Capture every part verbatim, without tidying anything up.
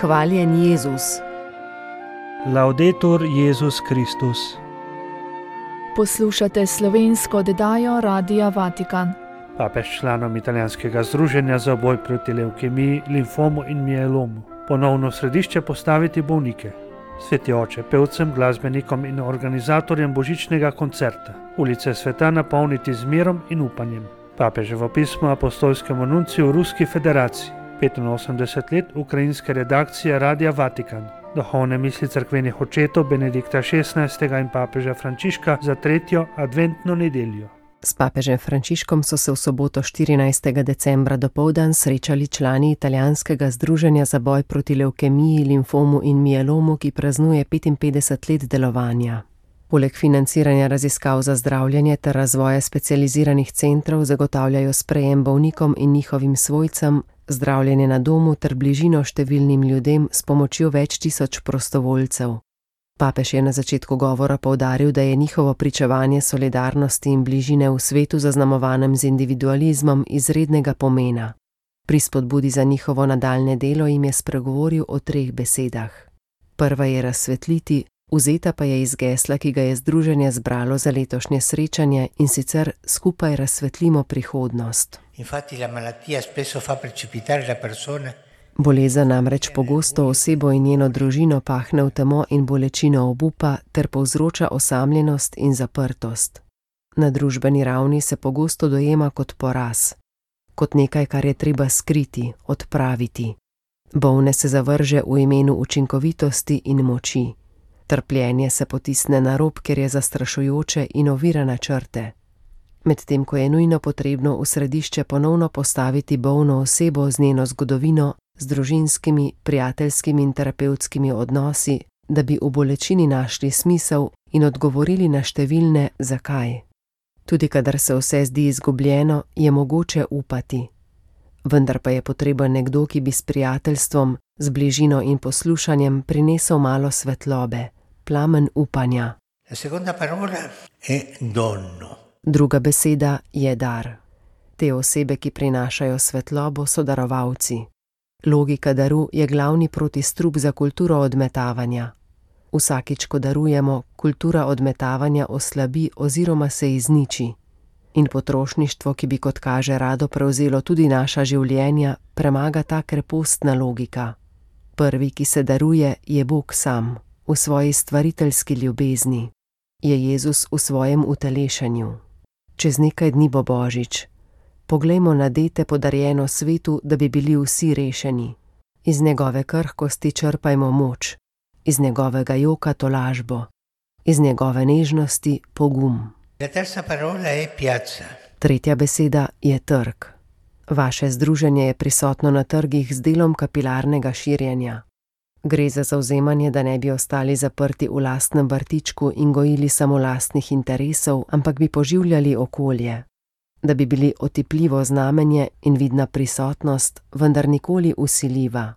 Hvaljen Jezus. Laudetur Jezus Kristus. Poslušate slovensko oddajo Radia Vatikan. Papež članom italijanskega združenja za boj proti levkemiji, limfomu in mielomu ponovno v središče postaviti bolnike. Sveti oče, pevcem, glasbenikom in organizatorjem božičnega koncerta ulice sveta napolniti z mirom in upanjem. Papeževo pismo apostolskemu nunciju v Ruski federaciji, petinosemdeset let ukrajinske redakcije Radia Vatikan, duhovne misli cerkvenih očetov Benedikta šestnajstega in papeža Frančiška za tretjo adventno nedeljo. S papežem Frančiškom so se v soboto štirinajstega decembra dopoldan srečali člani italijanskega združenja za boj proti levkemiji, limfomu in mielomu, ki praznuje petinpetdeset let delovanja. Poleg financiranja raziskav za zdravljenje ter razvoja specializiranih centrov zagotavljajo sprejem bolnikom in njihovim svojcem, zdravljenje na domu ter bližino številnim ljudem s pomočjo več tisoč prostovoljcev. Papež je na začetku govora poudaril, da je njihovo pričevanje solidarnosti in bližine v svetu zaznamovanem z individualizmom izrednega pomena. Pri spodbudi za njihovo nadaljne delo jim je spregovoril o treh besedah. Prva je razsvetliti, vzeta pa je iz gesla, ki ga je združenje zbralo za letošnje srečanje, in sicer skupaj razsvetlimo prihodnost. Infatti la malattia spesso fa precipitare la persona. Bolezen namreč pogosto osebo in njeno družino pahne v temo in bolečino obupa ter povzroča osamljenost in zaprtost. Na družbeni ravni se pogosto dojema kot poraz, kot nekaj, kar je treba skriti, odpraviti. Bolne se zavrže v imenu učinkovitosti in moči. Trpljenje se potisne na rob, ker je zastrašujoče in ovira načrte. Medtem ko je nujno potrebno v središče ponovno postaviti bolno osebo z njeno zgodovino, z družinskimi, prijateljskimi in terapevtskimi odnosi, da bi v bolečini našli smisel in odgovorili na številne zakaj. Tudi kadar se vse zdi izgubljeno, je mogoče upati. Vendar pa je potreben nekdo, ki bi s prijateljstvom, z bližino in poslušanjem prinesel malo svetlobe, plamen upanja. La seconda parola è dono. Druga beseda je dar. Te osebe, ki prinašajo svetlobo, so darovalci. Logika daru je glavni protistrup za kulturo odmetavanja. Vsakič, ko darujemo, kultura odmetavanja oslabi oziroma se izniči. In potrošništvo, ki bi kot kaže rado prevzelo tudi naša življenja, premaga ta krepostna logika. Prvi, ki se daruje, je Bog sam, v svoji stvariteljski ljubezni. Je Jezus v svojem utelešenju. Čez nekaj dni bo Božič. Poglejmo na dete podarjeno svetu, da bi bili vsi rešeni. Iz njegove krhkosti črpajmo moč, iz njegovega joka tolažbo, iz njegove nežnosti pogum. La terza parola è piazza. Tretja beseda je trg. Vaše združenje je prisotno na trgih z delom kapilarnega širjenja. Gre za zavzemanje, da ne bi ostali zaprti v lastnem vrtičku in gojili samo lastnih interesov, ampak bi poživljali okolje. Da bi bili otipljivo znamenje in vidna prisotnost, vendar nikoli vsiljiva.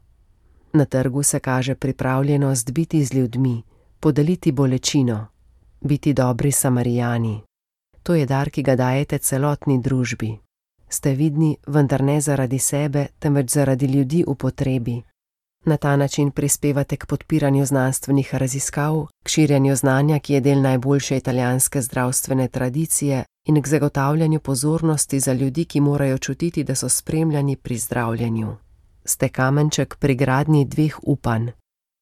Na trgu se kaže pripravljenost biti z ljudmi, podeliti bolečino, biti dobri Samarijani. To je dar, ki ga dajete celotni družbi. Ste vidni, vendar ne zaradi sebe, temveč zaradi ljudi v potrebi. Na ta način prispevate k podpiranju znanstvenih raziskav, k širjenju znanja, ki je del najboljše italijanske zdravstvene tradicije, in k zagotavljanju pozornosti za ljudi, ki morajo čutiti, da so spremljani pri zdravljenju. Ste kamenček pri gradnji dveh upanj,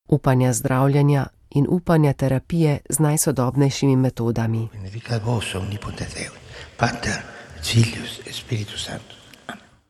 upanja zdravljenja in upanja terapije z najsodobnejšimi metodami. Benedicat vos omnipotens Deus, Pater, Filius et Spiritus Sanctus.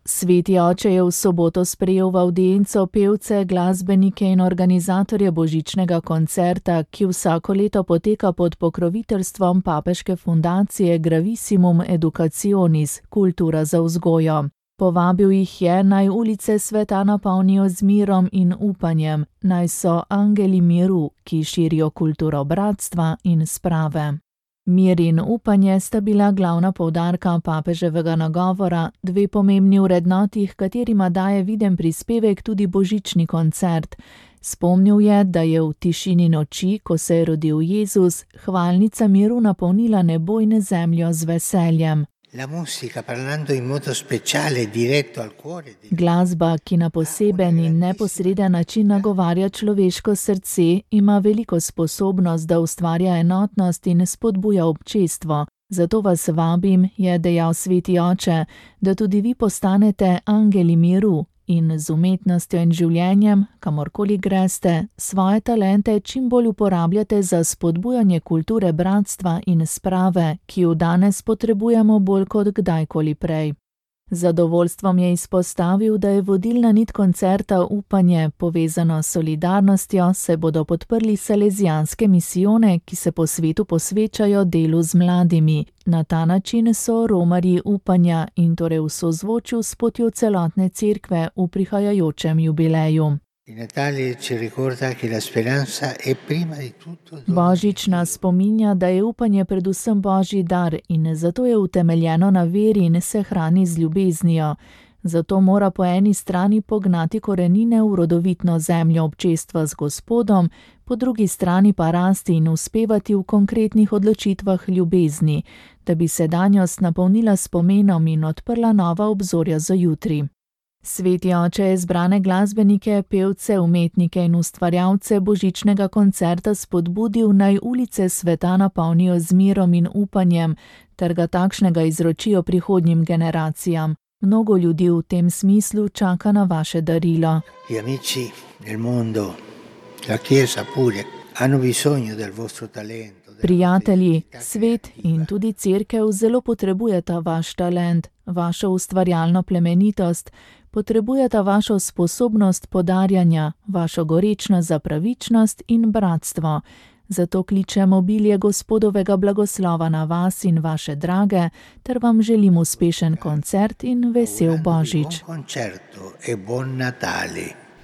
Sveti oče je v soboto sprejel v avdienco pevce, glasbenike in organizatorje božičnega koncerta, ki vsako leto poteka pod pokroviteljstvom papeške fundacije Gravissimum Educationis, kultura za vzgojo. Povabil jih je, naj ulice sveta napolnijo z mirom in upanjem, naj so angeli miru, ki širijo kulturo bratstva in sprave. Mir in upanje sta bila glavna poudarka papeževega nagovora, dve pomembni vrednoti, katerima daje viden prispevek tudi božični koncert. Spomnil je, da je v tišini noči, ko se je rodil Jezus, hvalnica miru napolnila nebo in zemljo z veseljem. Glasba, ki na poseben in neposreden način nagovarja človeško srce, ima veliko sposobnost, da ustvarja enotnost in spodbuja občestvo. Zato vas vabim, je dejal sveti oče, da tudi vi postanete angeli miru in z umetnostjo in življenjem, kamorkoli greste, svoje talente čim bolj uporabljate za spodbujanje kulture bratstva in sprave, ki jo danes potrebujemo bolj kot kdajkoli prej. Z zadovoljstvom je izpostavil, da je vodilna nit koncerta upanje, povezano s solidarnostjo, se bodo podprli salezijanske misijone, ki se po svetu posvečajo delu z mladimi. Na ta način so romarji upanja in torej v sozvočju s potjo celotne cerkve v prihajajočem jubileju. Božič nas spominja, da je upanje predvsem božji dar in zato je utemeljeno na veri in se hrani z ljubeznijo. Zato mora po eni strani pognati korenine v rodovitno zemljo občestva z Gospodom, po drugi strani pa rasti in uspevati v konkretnih odločitvah ljubezni, da bi sedanjost napolnila s pomenom in odprla nova obzorja za jutri. Sveti oče je zbrane glasbenike, pevce, umetnike in ustvarjalce božičnega koncerta spodbudil, naj ulice sveta napolnijo z mirom in upanjem, ter ga takšnega izročijo prihodnjim generacijam. Mnogo ljudi v tem smislu čaka na vaše darilo. Prijatelji, svet in tudi cerkev zelo potrebujeta vaš talent, vašo ustvarjalno plemenitost, potrebujeta vašo sposobnost podarjanja, vašo gorečnost za pravičnost in bratstvo. Zato kličem obilje Gospodovega blagoslova na vas in vaše drage, ter vam želim uspešen koncert in vesel Božič.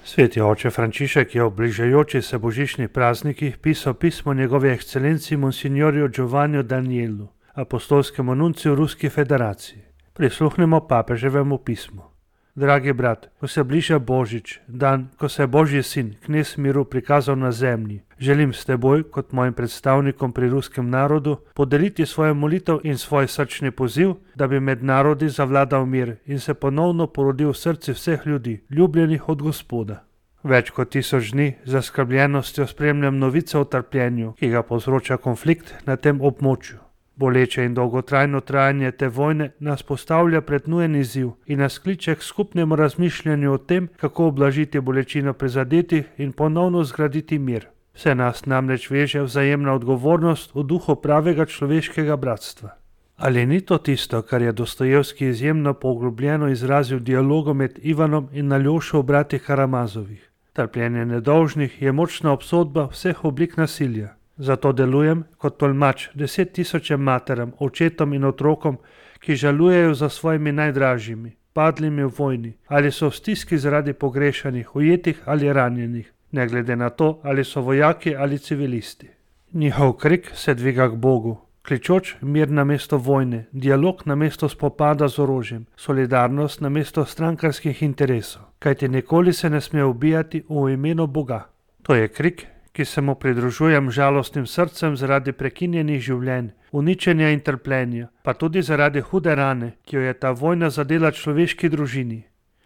Sveti oče Frančišek je ob bližajoči se božičnih praznikih pisal pismo njegove ekscelenci Monsignorju Giovanniu Danielu, apostolskemu nunciju Ruski federaciji. Prisluhnemo papeževemu pismu. Dragi brat, ko se bliža Božič, dan, ko se je Božji sin, knez miru, prikazal na zemlji, želim s teboj, kot mojim predstavnikom pri ruskem narodu, podeliti svojo molitev in svoj srčni poziv, da bi med narodi zavladal mir in se ponovno porodil v srci vseh ljudi, ljubljenih od Gospoda. Več kot tisoč dni z zaskrbljenostjo spremljam novice o trpljenju, ki ga povzroča konflikt na tem območju. Boleče in dolgotrajno trajanje te vojne nas postavlja pred nujen izziv in nas kliče k skupnemu razmišljanju o tem, kako ublažiti bolečino prizadetih in ponovno zgraditi mir. Vse nas namreč veže vzajemna odgovornost v duhu pravega človeškega bratstva. Ali ni to tisto, kar je Dostojevski izjemno poglobljeno izrazil v dialogu med Ivanom in Aljošo v bratih Karamazovih? Trpljenje nedolžnih je močna obsodba vseh oblik nasilja. Zato delujem kot tolmač deset tisočem materam, očetom in otrokom, ki žalujejo za svojimi najdražjimi, padlimi v vojni, ali so v stiski zaradi pogrešanih, ujetih ali ranjenih, ne glede na to, ali so vojaki ali civilisti. Njihov krik se dviga k Bogu, kličoč mir na mesto vojne, dialog na mesto spopada z orožjem, solidarnost na mesto strankarskih interesov, kajti nikoli se ne sme ubijati v imenu Boga. To je krik, ki se mu pridružujem žalostnim srcem zaradi prekinjenih življenj, uničenja in trpljenja, pa tudi zaradi hude rane, ki jo je ta vojna zadela človeški družini.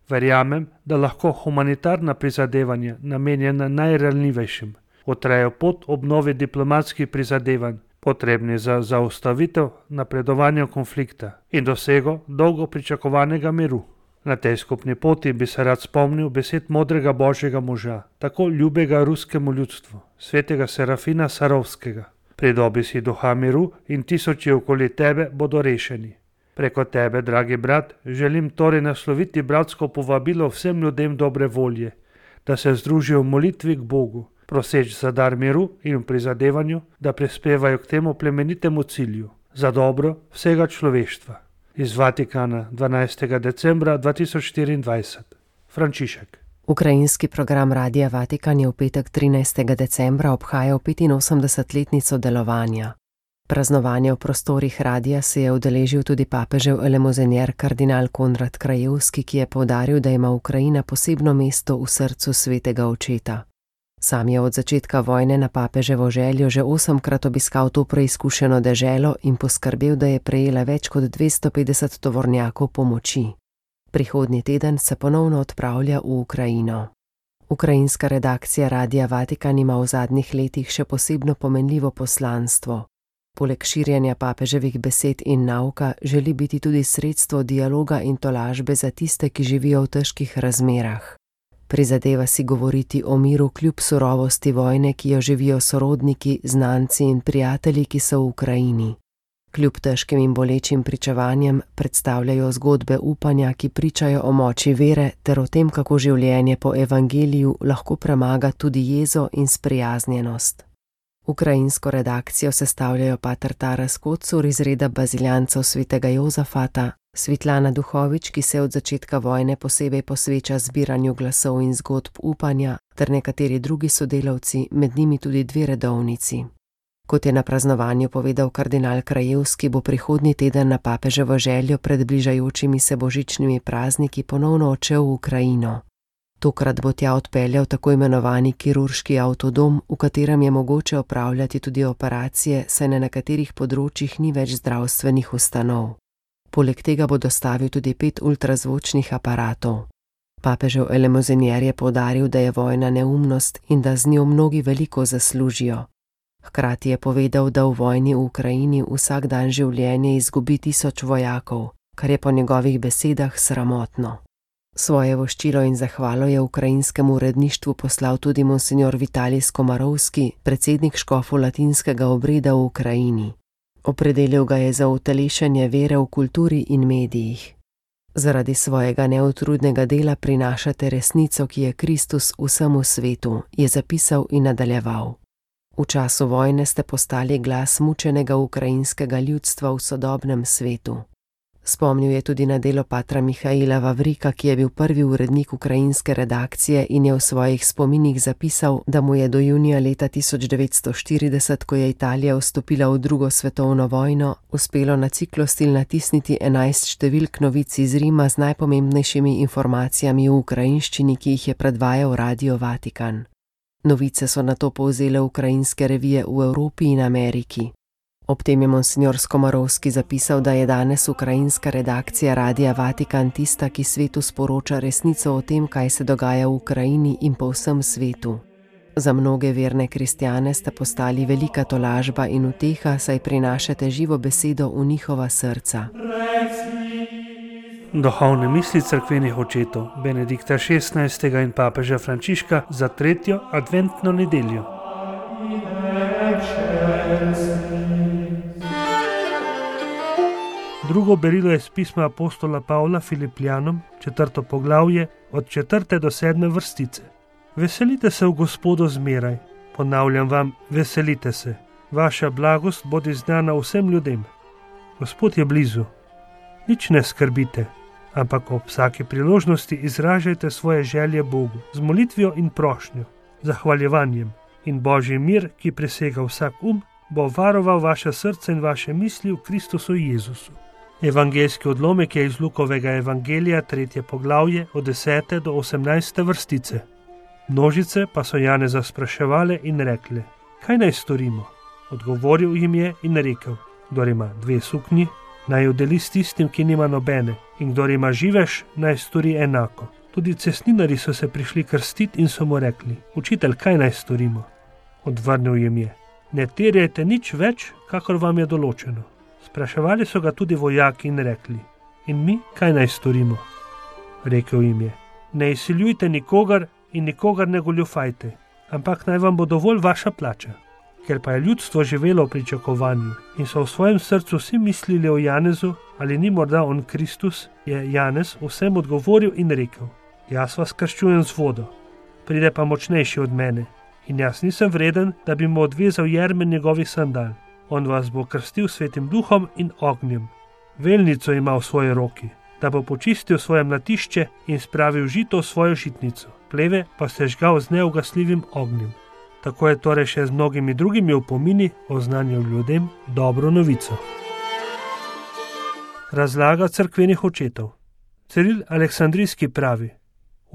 Verjamem, da lahko humanitarna prizadevanja, namenjena najranljivejšim, utrejo pot obnovi diplomatskih prizadevanj, potrebni za zaustavitev napredovanja konflikta in dosego dolgo pričakovanega miru. Na tej skupni poti bi se rad spomnil besed modrega božjega moža, tako ljubega ruskemu ljudstvu, svetega Serafina Sarovskega. Pridobi si duha miru in tisoči okoli tebe bodo rešeni. Preko tebe, dragi brat, želim torej nasloviti bratsko povabilo vsem ljudem dobre volje, da se združijo v molitvi k Bogu, proseč za dar miru in v prizadevanju, da prispevajo k temu plemenitemu cilju, za dobro vsega človeštva. Iz Vatikana, dvanajstega decembra dva tisoč štiriindvajset. Frančišek. Ukrajinski program Radia Vatikan je v petek trinajstega decembra obhajal petinosemdesetletnico delovanja. Praznovanje v prostorih radia se je udeležil tudi papežev elemozenier kardinal Konrad Krajewski, ki je poudaril, da ima Ukrajina posebno mesto v srcu svetega očeta. Sam je od začetka vojne na papeževo željo že osemkrat obiskal to preizkušeno deželo in poskrbel, da je prejela več kot dvesto petdeset tovornjakov pomoči. Prihodnji teden se ponovno odpravlja v Ukrajino. Ukrajinska redakcija Radia Vatikan ima v zadnjih letih še posebno pomenljivo poslanstvo. Poleg širjenja papeževih besed in nauka želi biti tudi sredstvo dialoga in tolažbe za tiste, ki živijo v težkih razmerah. Prizadeva si govoriti o miru kljub surovosti vojne, ki jo živijo sorodniki, znanci in prijatelji, ki so v Ukrajini. Kljub težkim in bolečim pričevanjem predstavljajo zgodbe upanja, ki pričajo o moči vere ter o tem, kako življenje po evangeliju lahko premaga tudi jezo in sprijaznjenost. Ukrajinsko redakcijo sestavljajo pater Taras Kocur iz reda baziljancev svetega Jozafata, Svetlana Duhovič, ki se od začetka vojne posebej posveča zbiranju glasov in zgodb upanja, ter nekateri drugi sodelavci, med njimi tudi dve redovnici. Kot je na praznovanju povedal kardinal Krajevski, bo prihodnji teden na papeževo željo pred bližajočimi se božičnimi prazniki ponovno odšel v Ukrajino. Tokrat bo tja odpeljal tako imenovani kirurški avtodom, v katerem je mogoče opravljati tudi operacije, saj na nekaterih področjih ni več zdravstvenih ustanov. Poleg tega bo dostavil tudi pet ultrazvočnih aparatov. Papežev elemozinjer je poudaril, da je vojna neumnost in da z njo mnogi veliko zaslužijo. Hkrati je povedal, da v vojni v Ukrajini vsak dan življenje izgubi tisoč vojakov, kar je po njegovih besedah sramotno. Svoje voščilo in zahvalo je ukrajinskemu uredništvu poslal tudi monsignor Vitalij Skomarovski, predsednik škofov latinskega obreda v Ukrajini. Opredelil ga je za utelešenje vere v kulturi in medijih. Zaradi svojega neutrudnega dela prinašate resnico, ki je Kristus vsemu svetu, je zapisal in nadaljeval. V času vojne ste postali glas mučenega ukrajinskega ljudstva v sodobnem svetu. Spomnil je tudi na delo patra Mihaila Vavrika, ki je bil prvi urednik ukrajinske redakcije in je v svojih spominih zapisal, da mu je do junija leta tisoč devetsto štirideset, ko je Italija vstopila v drugo svetovno vojno, uspelo na ciklostil natisniti enajst številk novic iz Rima z najpomembnejšimi informacijami v ukrajinščini, ki jih je predvajal Radio Vatikan. Novice so nato povzele ukrajinske revije v Evropi in Ameriki. Ob tem je monsignor Skomarovski zapisal, da je danes ukrajinska redakcija Radia Vatikan tista, ki svetu sporoča resnico o tem, kaj se dogaja v Ukrajini in po vsem svetu. Za mnoge verne kristjane sta postali velika tolažba in uteha, saj prinašate živo besedo v njihova srca. Duhovne misli cerkvenih očetov Benedikta šestnajstega in papeža Frančiška za tretjo adventno nedeljo. Drugo berilo je z pisma apostola Pavla Filipljanom, četrto poglavje, od četrte do sedme vrstice. Veselite se v Gospodu zmeraj, ponavljam vam, veselite se. Vaša blagost bodi znana vsem ljudem. Gospod je blizu. Nič ne skrbite, ampak ob vsaki priložnosti izražajte svoje želje Bogu z molitvijo in prošnjo, zahvaljevanjem, in Božji mir, ki presega vsak um, bo varoval vaše srce in vaše misli v Kristusu Jezusu. Evangeljski odlomek je iz Lukovega evangelija, tretje poglavje, od desete do osemnajste vrstice. Množice pa so Janeza spraševale in rekle: kaj naj storimo? Odgovoril jim je in rekel: kdor ima dve suknji, naj jo deli s tistim, ki nima nobene, in kdor ima živež, naj stori enako. Tudi cestninarji so se prišli krstiti in so mu rekli: učitelj, kaj naj storimo? Odvrnil jim je: ne terjajte nič več, kakor vam je določeno. Spraševali so ga tudi vojaki in rekli: in mi, kaj naj storimo? Rekel jim je: ne izsiljujte nikogar in nikogar ne goljufajte, ampak naj vam bo dovolj vaša plača. Ker pa je ljudstvo živelo v pričakovanju in so v svojem srcu vsi mislili o Janezu, ali ni morda on Kristus, je Janez vsem odgovoril in rekel: jaz vas krščujem z vodo, pride pa močnejši od mene, in jaz nisem vreden, da bi mu odvezal jermen njegovih sandal. On vas bo krstil svetim duhom in ognjem. Velnico ima v svoji roki, da bo počistil svoje mlatišče in spravil žito v svojo žitnico, pleve pa sežgal z neugasljivim ognjem. Tako je torej še z mnogimi drugimi opomini oznanjal ljudem dobro novico. Razlaga cerkvenih očetov. Ciril Aleksandrijski pravi: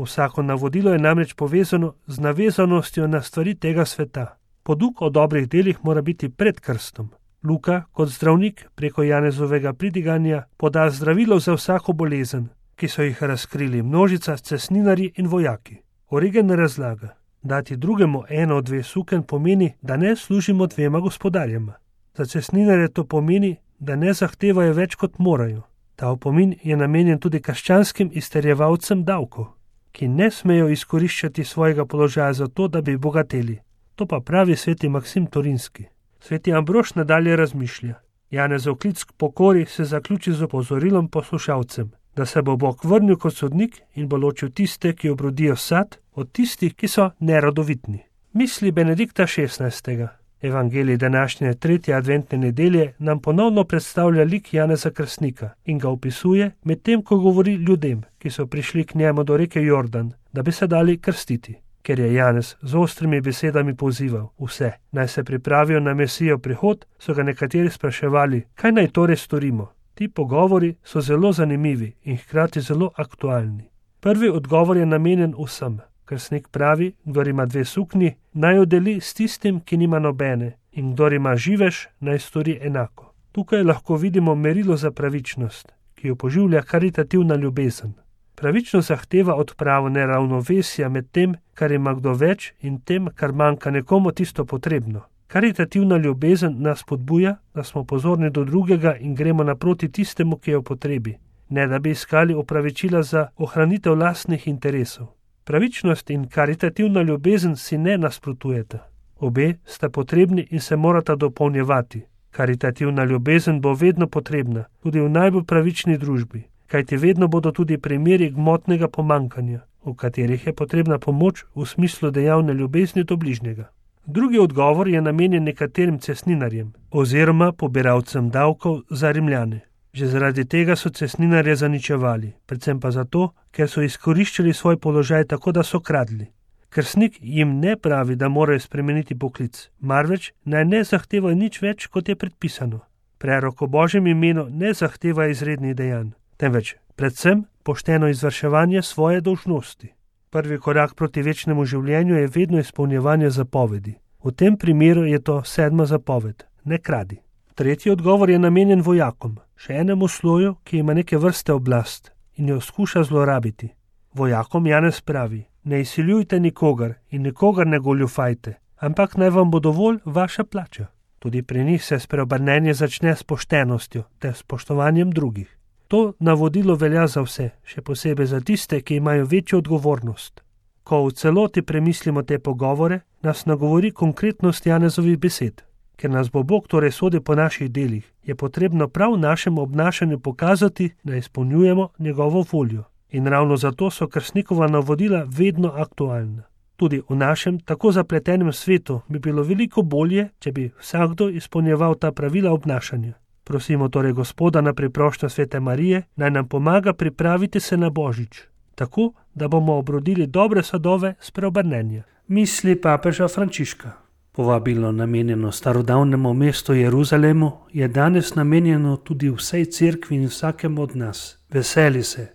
Vsako navodilo je namreč povezano z navezanostjo na stvari tega sveta. Poduk o dobrih delih mora biti pred krstom. Luka, kot zdravnik, preko Janezovega pridiganja poda zdravilo za vsako bolezen, ki so jih razkrili množica cestninarji in vojaki. Origen razlaga, dati drugemu eno od dve suken pomeni, da ne služimo dvema gospodarjema. Za cestninarje to pomeni, da ne zahtevajo več kot morajo. Ta opomin je namenjen tudi krščanskim izterjevalcem davkov, ki ne smejo izkoriščati svojega položaja za to, da bi bogateli. To pa pravi sveti Maksim Torinski. Sveti Ambrož nadalje razmišlja. Janezov klic k pokori se zaključi z opozorilom poslušalcem, da se bo Bog vrnil kot sodnik in bo ločil tiste, ki obrodijo sad, od tistih, ki so nerodovitni. Misli Benedikta šestnajstega. Evangelij današnje tretje adventne nedelje nam ponovno predstavlja lik Janeza Krstnika in ga opisuje medtem, ko govori ljudem, ki so prišli k njemu do reke Jordan, da bi se dali krstiti. Ker je Janez z ostrimi besedami pozival vse, naj se pripravijo na Mesijev prihod, so ga nekateri spraševali, kaj naj torej storimo. Ti pogovori so zelo zanimivi in hkrati zelo aktualni. Prvi odgovor je namenjen vsem. Krstnik pravi, kdor ima dve suknji, naj jo deli s tistim, ki nima nobene, in kdor ima živež, naj stori enako. Tukaj lahko vidimo merilo za pravičnost, ki jo poživlja karitativna ljubezen. Pravičnost zahteva odpravo neravnovesja med tem, kar ima kdo več, in tem, kar manjka nekomu tisto potrebno. Karitativna ljubezen nas spodbuja, da smo pozorni do drugega in gremo naproti tistemu, ki je v potrebi, ne da bi iskali opravičila za ohranitev lastnih interesov. Pravičnost in karitativna ljubezen si ne nasprotujeta. Obe sta potrebni in se morata dopolnjevati. Karitativna ljubezen bo vedno potrebna, tudi v najbolj pravični družbi, kajti vedno bodo tudi primeri gmotnega pomankanja, v katerih je potrebna pomoč v smislu dejavne ljubezni do bližnjega. Drugi odgovor je namenjen nekaterim cestninarjem oziroma pobiralcem davkov za Rimljane. Že zaradi tega so cestninarje zaničevali, predvsem pa zato, ker so izkoriščali svoj položaj tako, da so kradli. Krstnik jim ne pravi, da morajo spremeniti poklic, marveč naj ne zahtevajo nič več, kot je predpisano. Prerok o Božjem imenu ne zahteva izrednih dejanj, temveč predvsem pošteno izvrševanje svoje dolžnosti. Prvi korak proti večnemu življenju je vedno izpolnjevanje zapovedi. V tem primeru je to sedma zapoved, ne kradi. Tretji odgovor je namenjen vojakom, še enemu sloju, ki ima neke vrste oblast in jo skuša zlorabiti. Vojakom Janez pravi, ne izsiljujte nikogar in nikogar ne goljufajte, ampak naj vam bo dovolj vaša plača. Tudi pri njih se spreobrnenje začne s poštenostjo ter spoštovanjem drugih. To navodilo velja za vse, še posebej za tiste, ki imajo večjo odgovornost. Ko v celoti premislimo te pogovore, nas nagovori konkretnost Janezovih besed. Ker nas bo Bog torej sodil po naših delih, je potrebno prav v našem obnašanju pokazati, da izpolnjujemo njegovo voljo. In ravno zato so krstnikova navodila vedno aktualna. Tudi v našem tako zapletenem svetu bi bilo veliko bolje, če bi vsakdo izpolnjeval ta pravila obnašanja. Prosimo torej Gospoda na priprošnjo Svete Marije, naj nam pomaga pripraviti se na Božič, tako, da bomo obrodili dobre sadove spreobrnenja. Misli papeža Frančiška. Povabilo namenjeno starodavnemu mestu Jeruzalemu je danes namenjeno tudi vsej cerkvi in vsakemu od nas. Veseli se,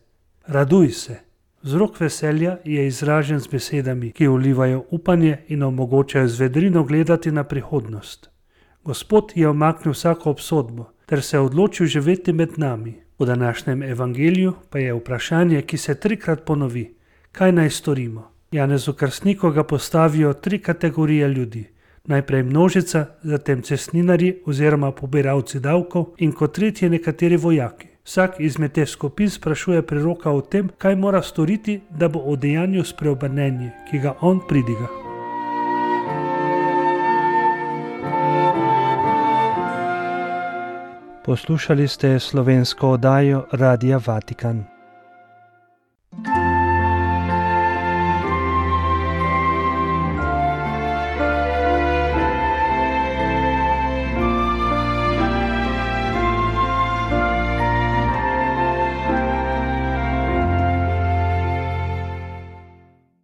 raduj se. Vzrok veselja je izražen z besedami, ki vlivajo upanje in omogočajo z vedrino gledati na prihodnost. Gospod je omaknil vsako obsodbo ter se odločil živeti med nami. V današnjem evangeliju pa je vprašanje, ki se trikrat ponovi. Kaj naj storimo? Janezu Krstniku ga postavijo tri kategorije ljudi. Najprej množica, zatem cestninarji oziroma pobiralci davkov in kot tretje nekateri vojaki. Vsak izmed teh skupin sprašuje preroka o tem, kaj mora storiti, da bo udejanjil spreobrnenje, ki ga on pridiga. Poslušali ste slovensko oddajo Radia Vatikan.